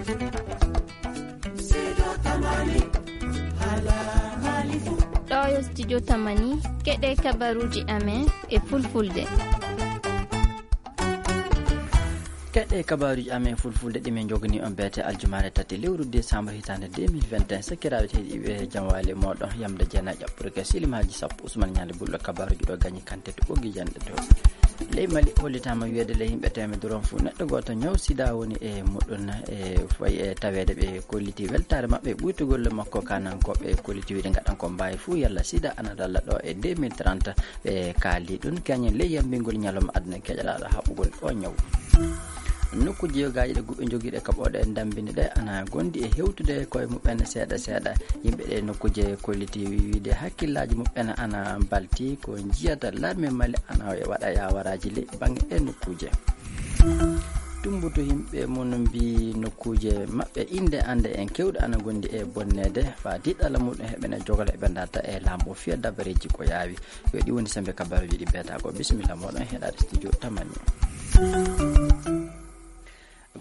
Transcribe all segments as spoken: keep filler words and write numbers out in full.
Ɗo yo studio Tamani, keɗe kabaruji amen e fulfulde. Keɗe kabaruji amen fulfulde ɗi min jogani on beete aljumaare tati lewru décembre hitaande deux mille vingt et un. Sakiraaɓe tedduɓe, jam waali e moɗon, yamde jeenayi ƴaɓɓorke silimaaji sappo. Usman Ñaali Bullo kabaruji ɗo gañi kante to ɓoggi janɗe to. Ley Mali, hollitaama wiyeede ley yimɓe teemedere on fof, neɗɗo gooto ñaw sida woni e muɗum. E fayi e taweede ɓe kolliti weltaare maɓɓe ɓuytugol makko, kanankooɓe kolliti wiide ngaɗan ko mbaawi fof yalla sida ana dalla ɗo e deux mille trente. Ɓe kaali ɗum keñen ley yambingol ñalawma aduna keƴalaaɗo haɓugol o ñaw. Nokkuuji yogaaji ɗe guɓe jogiiɗe kaɓooɗe e ndammbini ɗe ana gondi e hewtude koye muɓɓen seeɗa seeɗa. Yimɓe ɗe nokkuuje kolliti wiide hakkillaaji muɓɓen ana mbalti ko njiyata larme Mali ana waɗa yawaraaji ley baŋnge ɗe nokkuuje. Tumbute yimɓe mum mbi nokkuuje maɓɓe innde annde en keewɗe ana gondi e bonneede, faa diɗɗala muɗum heɓene jogla eɓe darta e laamu o fiya dabareeji ko yaawi. Yo ɗi woni sembe kabaruuji ɗi beeta ko. Bisimilla moɗon heɗaade studio Tamani.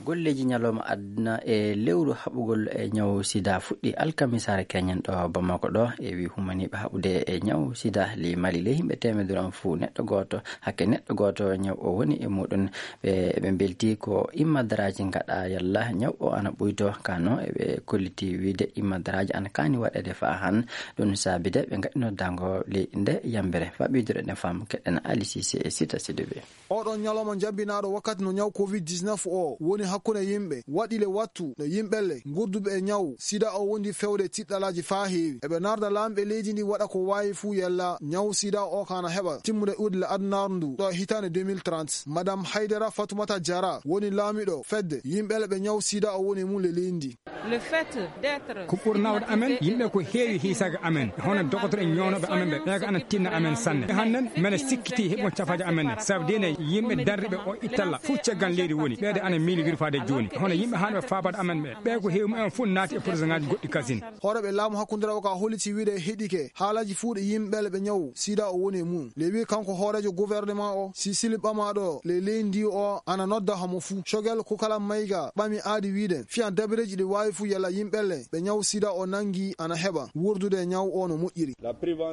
Golleeji ñalawma aduna e lewru haɓugol e ñaw sida fuɗɗi alkamisaare keñen ɗo Bamako ɗo. E wi humaniiɓe haɓude e ñaw sida ley Mali ley yimɓe teemedere on fof neɗɗo gooto, hakke neɗɗo gooto ñaw o woni e muɗum. Ɓe, ɓe mbelti ko immadaraaji ngaɗa yalla ñaw o ana ɓuyto. Kano eɓe kolliti wiide immadaraaji ana kaani waɗeede faa han. Ɗum saabide ɓe ngaɗino dango ley nde yambere. Faa ɓeydude ɗen faamu keɗen Ali Sise e Sita Sidibe. Oɗon ñalawma jambinaaɗo wakkati no ñaw covid dix-neuf o woni hakkunde yimɓe, waɗi le wattu no yimɓelle ngurduɓe e ñaw sida o wondi fewde tiɗɗalaaji faa heewi. Eɓe narda laamɓe leydi ndi waɗa ko waawi fuu yalla ñaw sida o kana heɓa timmude ɗuuɗi le adunaaru ndu ɗo hitaande deux mille trente. Madame Haydara Fatumata Jara woni laamiɗo fedde yimɓelle ɓe ñaw sida o woni e mum le leydi ndi. Le fait d'être Ko ɓurnawɗo amen, yimɓe ko heewi hiisaga amen, hono dogotoro en ñownooɓe amen ɓe, ɓe ko ana tinna amen sanne. Hannden, mene sikkiti heɓon cafaaje amen ne, sabu dine yimɓe darriɓe o ittalla fof caggal leydi woni, ɓeede ana miili wirfaade jooni, hono yimɓe haanɓe faabaade amen ɓe, ɓe ko heewi mumen fof naati e projet ŋaaji goɗɗi kasin. Hooreeɓe laamu hakkundiraaɓe ka holliti wiide heɗike haalaaji fuu ɗi yimɓe ɓe ñaw sida o woni e mum. Le wi kanko hooreejo gouvernement o, si sili ɓamaaɗo le leydi ndi o ana nodda hamo fuu. Cogel ko kala mayga ɓami aadi wiide fiyan dabareeji ɗi waawi fuu yalla yimɓelle ɓe ñaw sida o nangi ana heɓa wurdude e ñaw o no moƴƴiri.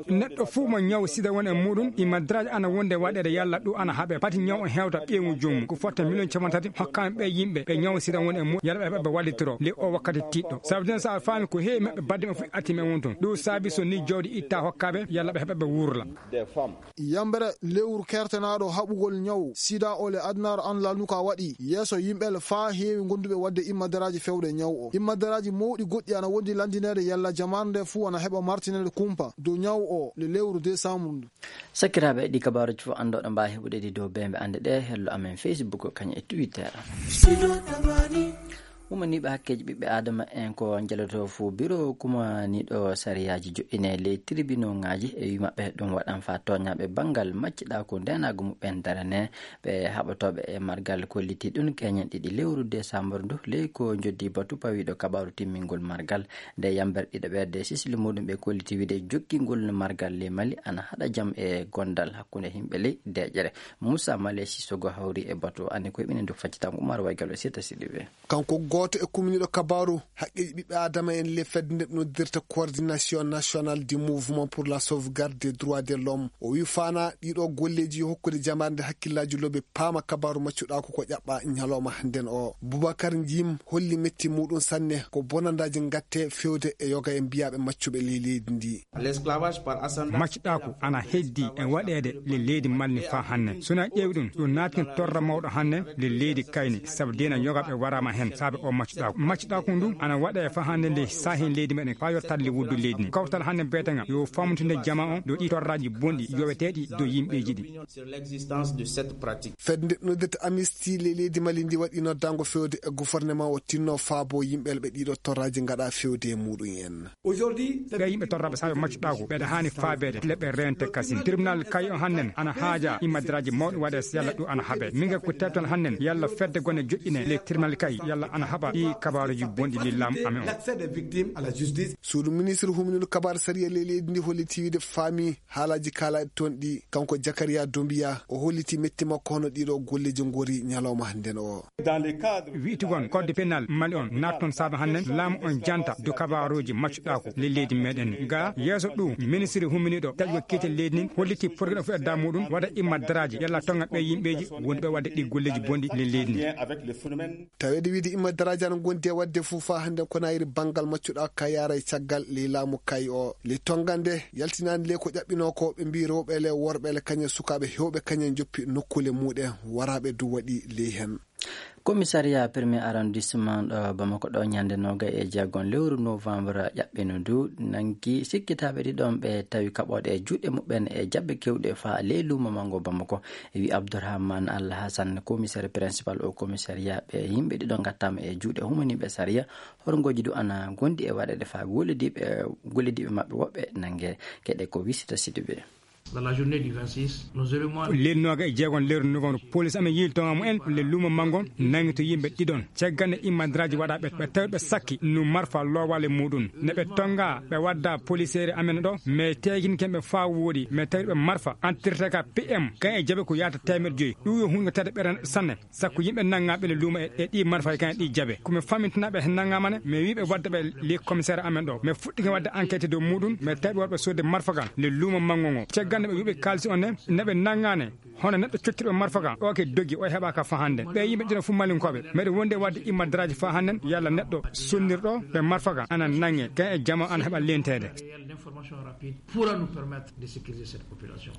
Neɗɗo fuu mo ñaw sida woni e muɗum, immadaraaji ana wonde waɗeede yalla ɗum ana haɓe. Pati ñaw o hewta ɓeyngu joomum. Ko fotta miliyon capanɗe tati hokkaama ɓe yimɓe ɓe ñaw sida woni e muɗum yalla ɓe heɓa ɓe wallitoro le o wakkati tiɗɗo. Sabu den so a faami ko heewi maɓɓe badde men fof atti men wonton. Ɗum saabi so ni jawdi itta hokkaɓe yalla ɓe heɓa ɓe wurla. Yambere lewru kertanaaɗo haɓugol ñaw sida o le adunaaru an lalnuka waɗi yeeso yimɓe le faa heewi gonduɓe waɗde immadaraaji fewde ñaw o. Immadaraaji mawɗi goɗɗi ana wondi landineede yalla jamaare nde fuu ana heɓa martineede kumpa dow ñaw o le lewru décembre ndu. Sakiraaɓe, ɗi kabaaruuji fof anndoɗo mbaawi heɓude ɗi dow beembe annde ɗe hello amen Facebook kañum e Twitter. Umaniiɓe hakkeeji ɓiɓɓe Aadama en ko njalotoo fof biro kumaniiɗo sariyaaji joɗɗine ley tribunauŋaaji e wi maɓɓe ɗum waɗan faa tooñaaɓe banngal macciɗaaku ndeenaagu muɓɓen darane. Ɓe haɓotooɓe e margal kolliti ɗum keñen ɗiɗi lewru décembre ndu ley ko njoddi batu pawiiɗo kabaaru timmingol margal. Nde yamberɗiɗo ɓeerde sisili muɗum ɓe kolliti wiide jokkingol margal ley Mali ana haɗa jam e gondal hakkunde yimɓe ley deeƴere. Moussa Male Sissoko hawri e batu o, anndi koye ɓinen ndu faccitango Umar Waygal e Sirta Sidibe. Kanko gooto e kumniiɗo kabaaru haqqeeji ɓiɓɓe Aadama en le fedde nde noddirta Coordination Nationale du Mouvement pour la Sauvegarde des Droits de l'Homme. O wi faana ɗiɗo golleeji yo hokkude jamaare nde hakkillaaji lobe paama kabaaru maccuɗaaku ko ƴaɓɓa ñalawma hannden o. Boubacar Njim holli metti muɗum sanne ko bonandaaji ngatte fewde e yoga e mbiyaaɓe maccuɓe ley leydi ndi. Maccuɗaaku ana heddi e waɗeede le leydi Mali ni faa hanne. So na ƴeewi ɗum, ɗum naatini torra mawɗo hanne le leydi kayni, sabu dina yoga ɓe waraama hen saabe o maccuɗaaku. Maccuɗaaku ndu ana waɗe faa hanne nde saahi leydi meɗen faa yottat le wuddu leydi ni. Kawtal hanne beeteŋa yo famtinde jama on dow ɗi torraaji bonɗi yoweteeɗi dow yimɓeeji ɗi. Sur l'existence de cette pratique. Fedde nde noddirta Amnesty le leydi Mali ndi waɗi noddango fewde e gouvernement o tinno faabo yimɓe ɓe ɗiɗo torraaji ngaɗa fewde e muɗum en. Ɓe yimɓe torraɓe saabe maccuɗaaku ɓeɗa haani faabeede le ɓe rente kasin. Tribunal kay o hannen ana haaja immadiraaji mawɗi waɗe yalla ɗum ana haɓe. Min ga ko tewtal hannen yalla fedde gone joƴƴine le tribunal kay yalla ana haɓa. Ɗi kabaaruuji bonɗi ɗi laamu amen o. Suudu ministre huminiiɗo kabaar sariya ley leydi ndi holliti wiide faami haalaaji kaalaaɗi toon ɗi. Kanko Jakariya Dombiya o holliti metti makko hono ɗiɗo golleeji ngori ñalawma hannden o. Wi'tugon kodde penal mali on naat toon saabe hannden laamu on janta do kabaaruuji maccuɗaaku ley leydi meɗen ndi. Ga yeeso ɗum ministre huminiiɗo taƴugo kiite leydi ndin holliti porgel o fuɗɗa muɗum waɗa imma daraaji yalla tonga ɓe yimɓeeji woni ɓe waɗde ɗi golleeji bonɗi ley leydi ndi. Taweede wiide imma daraaji ana ngondi e waɗde fof faa hannde ko nayri banngal maccuɗa ka yaara e caggal ley laamu kay o. Ley tongande yaltinaani ley ko ƴaɓɓinoo ko ɓe mbii rewɓe le worɓe le kañum sukaaɓe heewɓe kañum njoppi nokkuule muɗen waraaɓe du waɗi ley heen. Komisariya premier arrondissement ɗo Bamako ɗo ñande noga e jeegom lewru novembre ƴaɓɓino du nangi sikkitaaɓe ɗiɗon ɓe tawi kaɓooɗe e juuɗe muɓɓen e jaɓɓe kewɗe faa ley luumo mango Bamako. E wi Abdourahmane Al Hassan, commissaire principal au commissariat, ɓe yimɓe ɗiɗo ngattaama e juuɗe humaniiɓe sariya. Horngooji du ana gondi e waɗeede faa gollidiiɓe gollidiiɓe maɓɓe woɓɓe nange. Keɗe ko wisita Sidibe. Dans la journée du vingt-six, nos éléments lel noga e jeegon lewru novembre police amen yiiltonga mumen le luumo mango nangi to yimɓe ɗiɗon caggal nde immandiraaji waɗa ɓe ɓe tawi ɓe sakki nu marfa loowaale muɗum ne ɓe tonga ɓe wadda poliseere amen ɗo mais teginken ɓe faa wooɗi mais tawi ɓe marfa entreteka pm kan e jaɓe ko yaata teemeɗe joyi ɗum yo hunde tade ɓeren sanne. Sakko yimɓe nanngaa ɓe le luuma e ɗi marfay kan e ɗi jabe ko mi famintinaa ɓe heen nanngaama ne mi wiiɓe wadde ɓe li commissaire amen ɗo mi fuɗɗike wadde enquête dow muɗum mi tawi ɓe waɗɓe sodde marfa kan le luuma manngo ngo caggal nde ɓe yuɓe kaalisi on ne neɓe nanngaa ne. Hono neɗɗo cottirɓe marfa kan oke dogi o heɓaka fa hannden ɓe yimɓe ɗino fof malinkooɓe meɗe wondi e wadde imma daraaji fa hannden yalla neɗɗo sonnirɗo ɓe marfa kan ana nannge kan e jama ana heɓa lenteede. Réel d'information rapide pourra nous permettre de sécuriser cette population.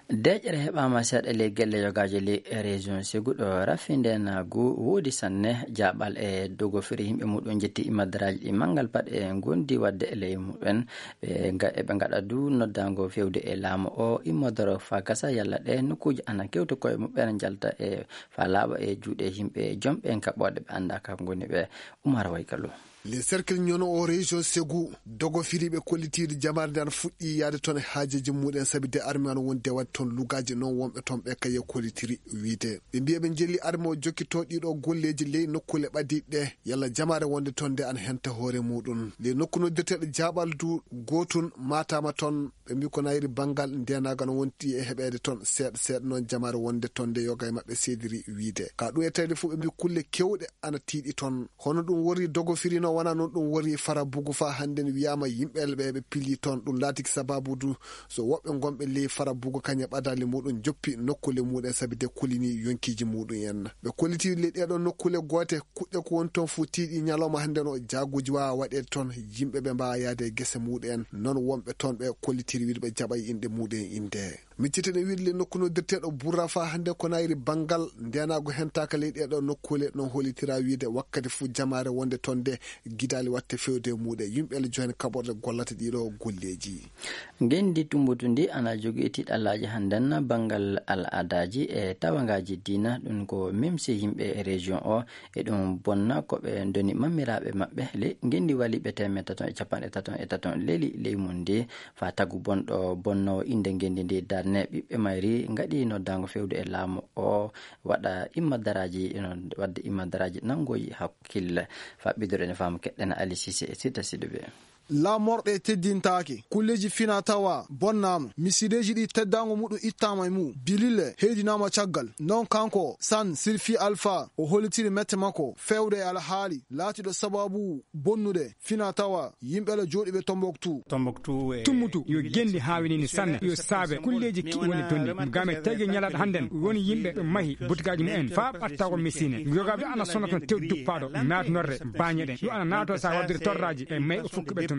Deeƴere heɓaama seeɗa ley gelle yogaaje ley région Ségou ɗo rafi ndeenaagu woodi sanne. Jaaɓal e dogofiri yimɓe muɗum jetti imadaraaji ɗi manngal paɗe ngondi waɗde e ley mumen. Ɓe nga- eɓe ngaɗa du noddaango fewde e laamu o immodoro faa gasa yalla ɗe nokkuuji ana kewta koye muɓɓen njalta e faa laaɓa e juuɗe yimɓe jomɓe kaɓooɗe ɓe anndaa ka ngoni ɓe. Umar Waykalu. Le cercle ñono o région Ségou dogo firiɓe kollitiiɗo jamaare nde ana fuɗɗi yaade toon e haajeeji muɗen sabi de armi ana woni de waɗde toon lugaaji noon wonɓe toon ɓe kaye kollitiri wiide ɓe mbiya ɓe njelli armi o jokkito ɗiɗo golleeji ley nokkuule ɓadiiɗe ɗe yalla jamaare wonde toon nde ana henta hoore muɗum ley nokku noddirteeɗo jaaɓal du gootun maataama toon. Ɓe mbi ko nayri banngal ndeenaagal no wonti e heɓeede toon seeɗa seeɗa noon jamaare wonde toon nde yoga e maɓɓe seediri wiide ka ɗum e tawde fof ɓe mbi kulle kewɗe ana tiiɗi toon. Hono ɗum wori dogo firino wona noon ɗum wori fara bugu fa hannden wiyaama yimɓe ɓe ɓe pili toon ɗum laatiki sababu du so woɓɓe ngonɓe ley fara bugu kañe ɓadaali muɗum joppi nokkuule muɗum sabi de kulini yonkiiji muɗum en. Ɓe kolliti le ɗeɗo nokkuule goote kuɗɗe ko woni toon fof tiiɗi ñalawma hannden o jaaguuji waawa waɗeede toon yimɓe ɓe mbaawa yahde e gese muɗum en noon wonɓe toon ɓe kollitiri wiide ɓe jaɓa e inɗe muɗum en innde. Miccitene wiide le nokku noddirteeɗo burra fa hannde ko nayri banngal ndeenaagu hentaaka ley ɗeɗo nokkuule noon hollitira wiide wakkati fof jamaare wonde toon nde gidaali watte fewde e muɗum yimɓe le johen kaɓorɗe gollata ɗiɗo golleeji. Ngenndi tumbutu ndi ana jogii tiiɗallaaji hannden banngal al'adaaji e tawangaaji diina ɗum ko memsi yimɓe e région o. E ɗum bonna ko ɓe ndoni mammiraaɓe maɓɓe le ngenndi waliiɓe teemedde taton e capanɗe taton e taton leli ley mum ndi faa tagu bonɗo bonnoowo innde ngenndi ndi darne ɓiɓɓe mayri ngaɗi noddaango fewde e laamu o waɗa imma daraaji waɗde imma daraaji nanngoyi hakkille. Faa ɓiddore ne faamu keɗɗena Ali Sise e Sita Siduɓe. Laamorɗe teddintaake kulleeji fina tawa bonnaama misideeji ɗi teddaango muɗum ittaama e mum bilille heedinaama caggal noon kanko san sirfi alfa o hollitiri mette makko fewde e alhaali laatiiɗo sababu bonnude fina tawa yimɓe la jooɗiiɓe tomboktu. Tummutu yo genndi haawinini sanne yo saabe kulleeji kiɗi woni donndi game tayge ñalaɗo hannden woni yimɓe ɓe mahi butigaaji mumen faa ɓattago misine yogaaɓe ana sonna toon tew duppaaɗo naatnorde baañe ɗen ɗum ana naatoo sa waddiri torraaji e mayɓe fukkuɓe tun.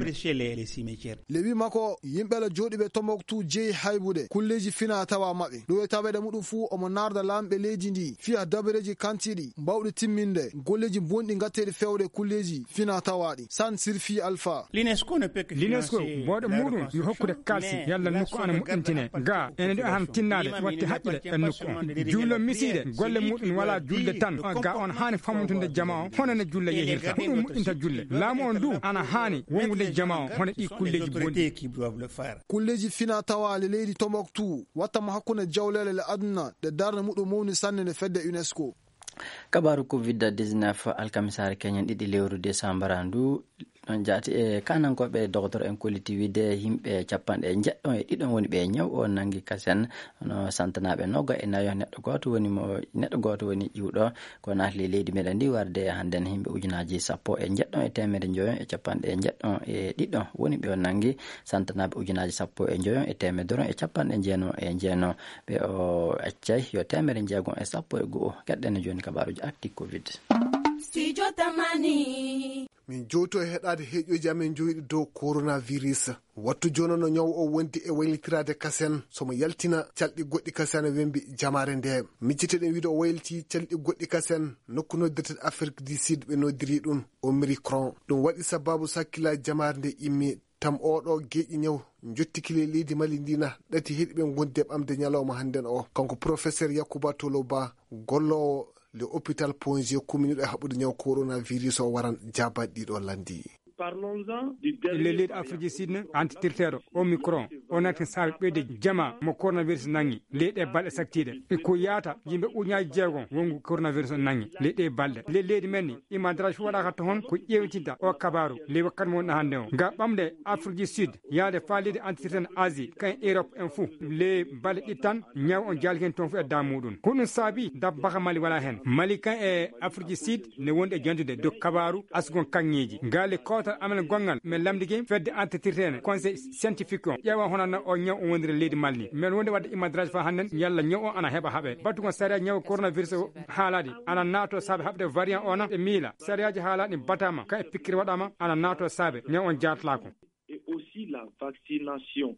Lewi makko yimɓe la jooɗiiɓe tomboktu jeyi haybude kulleeji fina tawa maɓɓe ɗum e taweede muɗum fuu omo naarda laamɓe leydi ndi fiya dabareeji kantiiɗi mbawɗi timminde golleeji bonɗi ngatteeɗi fewde kulleeji fina tawaaɗi san sirfi alfa. L'unesco booɗe muɗum yo hokkude kalsi yalla nokku ana moƴƴintine ga ene ɗo hano tinnaade watte haqqile e nokku on jullo misiide golle muɗum wala julde tan ga on haani fammutude jama o hono ne julla yehirta ko ɗum moƴƴinta julle laamu on du ana haani wongude jama o hono ɗi kulleeji bonɗi. Kulleeji fina tawaali leydi tomboktu wattama hakkunde jawleele le aduna ɗe darnde muɗum mawni sanne nde fedde unesco. Kabaaru covid dix-neuf, alkamisaare keñen ɗiɗi lewru desambara ndu. Ɗon jaati e kaanankooɓe, dogotoro en kolliti wiide yimɓe capanɗe njeɗɗo e ɗiɗo woni ɓe ñaw o nanngi kasen. Hono santanaaɓe noga e nayo, neɗɗo gooto woni mo, neɗɗo gooto woni iwɗo. Ko naatli leydi meɗen ndi warde hannden yimɓe ujunaaji sappo e njeɗɗo e teemedde njoyo e capanɗe njeɗɗo e ɗiɗo woni ɓe o nanngi. Santanaaɓe ujunaaji sappo e njoyo e teemedde e capanɗe njeeno e njeeno. Ɓe o accay yo teemedde njeego e sappo e go'o. Keɗɗen jooni kabaaruji arti covid. Studio Tamani. Min jowto e heɗaade heeƴooji amen jowiɗi dow coronavirus. Wattu jooni no ñaw o wondi e waylitiraade kasen, somo yaltina calɗi goɗɗi kasen wembi jamaare nde. Micciteɗen wiide o wayliti calɗi goɗɗi kasen, nokku noddirteɗo Afrique du Sud ɓe noddiri ɗum Omicron. Ɗum waɗi sababu sakkila jamaare nde immi. Tam oɗo geeƴi ñaw jottiki le leydi Mali ndina ɗati heɗi ɓe gondi e ɓamde ñalawma hannden o. Kanko professeur Yakuba Toloba, golloowo le hôpital Ponge, kuminiɗo e haɓude ñaw coronavirus o, waran jaabaɗi ɗiɗo landi. E le leydi Afrique du Sud ne, antitirteɗo Omicron o natti saabe ɓeyde jama mo coronavirus nangi ley ɗe balɗe saktiɗe. E ko yaata yimɓe uñaaji jeego wongu coronavirus o nangi ley ɗe balɗe. Le leydi men ni, imadraji fof waɗaka to hon ko ƴeewtinta o kabaru le wakkati mo wonɗo hannde o. Nga ɓamde Afrique du Sud, yaade faa leydi antitirten Asie, kan Europe en fou, le balɗe ɗiɗi tan, ñaw on jaali hen toon fof e daa muɗum. Ko ɗum saabi dab baka Mali wala hen. Mali kan e Afrique du Sud ne wondi e jantude dow kabaru asgon kaŋŋeeji. Ngal e kootal amen gonngal, men lamndike fedde antitirteene, conseil scientifique on, ƴeewa hono no o ñaw o wondiri leydi Mali ni. Men wondi wadde imadraji fa hannden, yalla ñaw o ana heɓa haɓe. Batugol sariya ñaw coronavirus o haalaɗi, ana naato saabe haɓde variant o na e miila. Sariyaaji haalaɗi batama, ka e pikkiri waɗama, ana naato saabe, ñaw on jaatlaako. Et aussi la vaccination.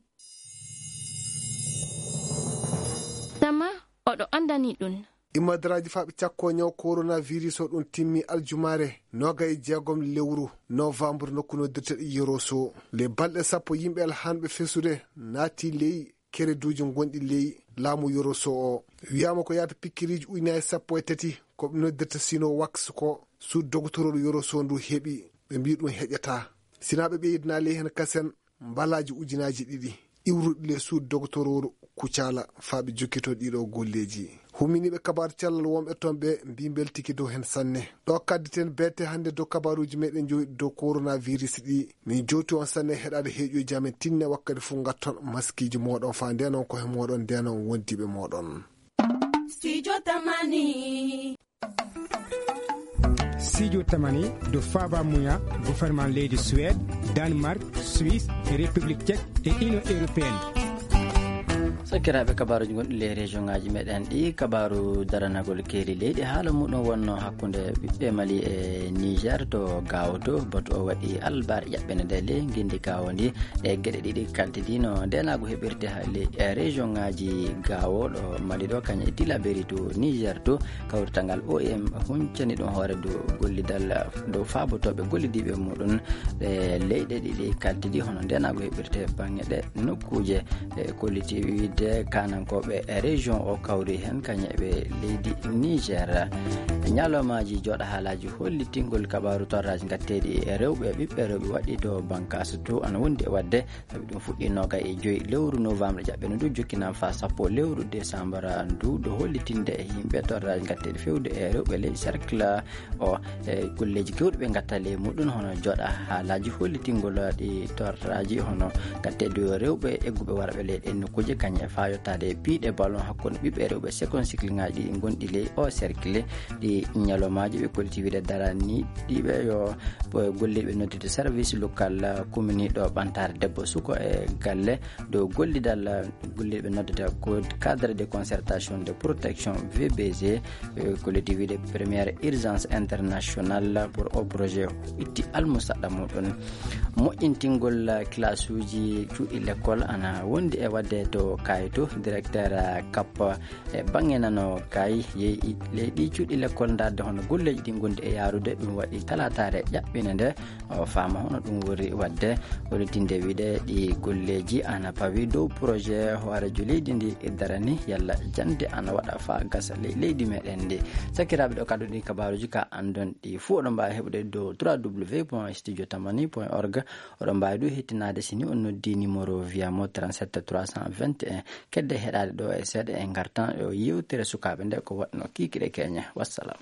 Tama oɗo anndani ɗum. Imadraji faɓe cakko ñaw coronavirus o ɗum timmi aljumaare noga e jeegom lewru novembre nokku noddirteɗo Yoroso. Le balɗe sappo yimɓe alhanɓe fesude naati ley kereduuji gonɗi ley laamu Yoroso o. Wiyaama ko yaata pikkiriiji ujunaaji sappo e tati ko ɓe noddirta Sinovax ko suudu dogotororu Yoroso ndu heɓi. Ɓe mbii ɗum heƴataa. Sinaa ɓe ɓeydinaa ley heen kasen mbalaaji ujunaaji ɗiɗi iwruɗi ley suudu dogotororu Kucala faa ɓe jokkito ɗiɗo golleeji. Huminiiɓe kabaaru cellal wonɓe toon ɓe mbii mbeltiki dow heen sanne. Ɗo kadditen beete hannde dow kabaaruuji meɗen jowiɗi dow coronavirus ɗi. Min jowti on sanne heɗaade heeƴooji amen tinne wakkati fof ngatton maskiiji mooɗon faa ndeenon ko he mooɗon ndeenon wondiiɓe mooɗon. Studio Tamani. Studio Tamani dow faaba muya gouvernement leydi Suède, Danemark, Suisse, République Tchèque et Union Européenne. Sakiraaɓe, kabaaruuji gonɗi ley région ŋaaji meɗen ɗi, kabaaru daranagol keeri leydi, haala muɗum wonno hakkunde ɓiɓɓe Mali e Niger to Gao to. Batu o waɗi albar ƴaɓɓene nde ley ngenndi Gao ndi. Ɗe geɗe ɗiɗi kaltidino ndenaagu heɓirte ha ley, e région ŋaaji Gao ɗo Mali ɗo, kañum e Tillabéri to Niger to. Kawrital ngal O M huncani ɗum hoore dow gollidal dow faabotooɓe gollidiiɓe muɗum ɗe leyɗe ɗiɗi kaltidi hono ndenaagu heɓirte baŋŋe ɗe nokkuuje. E kolliti wiide kaanankooɓe e région o kawri heen kañum e ɓe leydi Niger. Ñalawmaaji jooɗa haalaaji hollitingol kabaaru torraaji ngatteeɗi e rewɓe, ɓiɓɓe rewɓe waɗɗii to Bankaso to ana wondi e waɗde. Sabi ɗum fuɗɗii noga e joyi lewru novembre jaɓɓeno ndu, jokkinama faa sappo lewru décembre ndu, ɗo hollitinde e yimɓe torraaji ngatteeɗi fewde e rewɓe ley cercle o, e golleeji kewɗi ɓe ngatta ley muɗum, hono jooɗa haalaaji hollitingol ɗi torraaji hono ngatteeɗi rewɓe egguɓe warɓe ley ɗen nokkuuje, kañum e faa yottaade e piiɗe ballon hakkunde ɓiɓɓe rewɓe seconde cycle ŋaaji ɗi gonɗi ley o cercle, ɗi ñalawmaaji ɓe kolliti wiide darani ɗiɓe yo golliiɓe noddude service local, uh, kuminiiɗo ɓantaare debbo suko e galle dow gollidal, uh, golliiɓe noddude ko cadre de concertation de protection V B G, uh, kolliti wiide première urgence internationale pour o projet itti almusaɗɗa muɗum. Moƴƴintingol, uh, classe uji cuuɗi l'école ana wondi e waɗde to Kayto, directeur, uh, CAP e baŋŋe nano kay yeeyi ley ɗi cuuɗi lekkol ndaarde hono golleeji ɗi ngondi e yaarude. Ɗum waɗi talaataare ƴaɓɓine nde o faama hono ɗum woni waɗde. Hollitinde wiide ɗi golleeji ana pawi dow projet hooreejo leydi ndi darani yalla jannde ana waɗa faa gasa ley leydi meɗen ndi. Sakiraaɓe, ɗo kaddu ɗi kabaaruuji ka anndon ɗi fuu oɗon mbaawi heɓude dow trois W point studio tamani point org. Oɗon mbaawi du hettinaade si ni on noddi numéro via mo trente-sept trois cent vingt et un Kedde heɗaade ɗo e seeɗa, en ngartan ɗo yewtere sukaaɓe nde, ko waɗno kiikiɗe keñe. Wassalam.